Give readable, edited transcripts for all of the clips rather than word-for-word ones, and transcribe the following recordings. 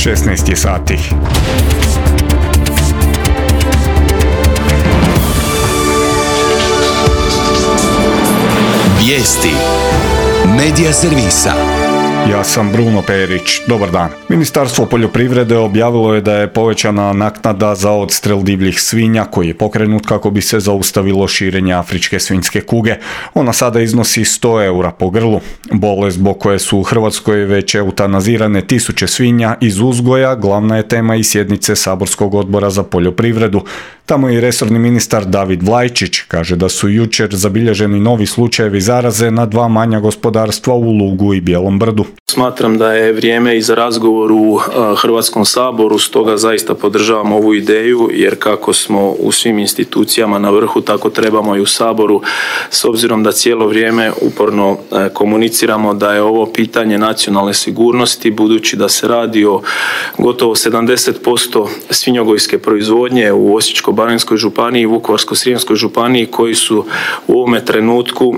16 je sati. Vijesti Medija servisa. Ja sam Bruno Perić. Dobar dan. Ministarstvo poljoprivrede objavilo je da je povećana naknada za odstrel divljih svinja koji je pokrenut kako bi se zaustavilo širenje afričke svinjske kuge. Ona sada iznosi 100 eura po grlu. Bolest zbog koje su u Hrvatskoj već eutanazirane tisuće svinja iz uzgoja glavna je tema i sjednice Saborskog odbora za poljoprivredu. Tamo i resorni ministar David Vlajčić kaže da su jučer zabilježeni novi slučajevi zaraze na 2 manja gospodarstva u Lugu i Bijelom Brdu. Smatram da je vrijeme i za razgovor u Hrvatskom saboru, stoga zaista podržavam ovu ideju, jer kako smo u svim institucijama na vrhu, tako trebamo i u Saboru, s obzirom da cijelo vrijeme uporno komuniciramo da je ovo pitanje nacionalne sigurnosti, budući da se radi o gotovo 70% svinjogojske proizvodnje u Osječko-baranjskoj županiji i Vukovarsko-srijemskoj županiji, koji su u ovome trenutku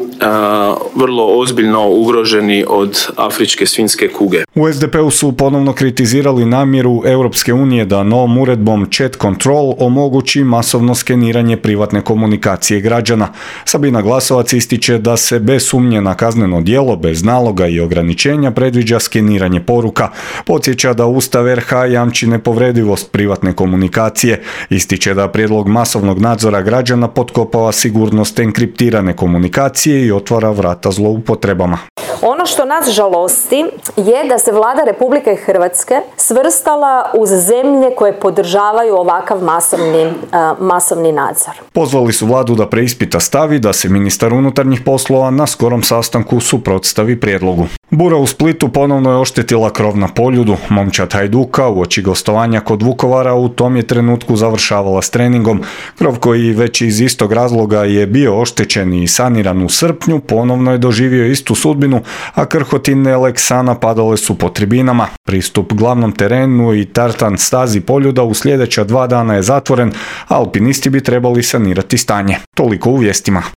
vrlo ozbiljno ugroženi od afričke svinjske kuge. U SDP-u su ponovno kritizirali namjeru Europske unije da novom uredbom Chat Control omogući masovno skeniranje privatne komunikacije građana. Sabina Glasovac ističe da se bez sumnje na kazneno djelo, bez naloga i ograničenja predviđa skeniranje poruka. Podsjeća da Ustav RH jamči nepovredivost privatne komunikacije. Ističe da prijedlog masovnog nadzora građana potkopava sigurnost enkriptirane komunikacije i otvara vrata zloupotrebama. Ono što nas žalosti je da se Vlada Republike Hrvatske svrstala uz zemlje koje podržavaju ovakav masovni nadzor. Pozvali su Vladu da preispita stav i da se ministar unutarnjih poslova na skorom sastanku suprotstavi prijedlogu. Bura u Splitu ponovno je oštetila krov na Poljudu. Momčad Hajduka uoči gostovanja kod Vukovara u tom je trenutku završavala s treningom. Krov koji već iz istog razloga je bio oštećen i saniran u srpnju ponovno je doživio istu sudbinu, a krhotine Leksana padale su po tribinama. Pristup glavnom terenu i tartan stazi Poljuda u sljedeća 2 dana je zatvoren, a alpinisti bi trebali sanirati stanje. Toliko u vijestima.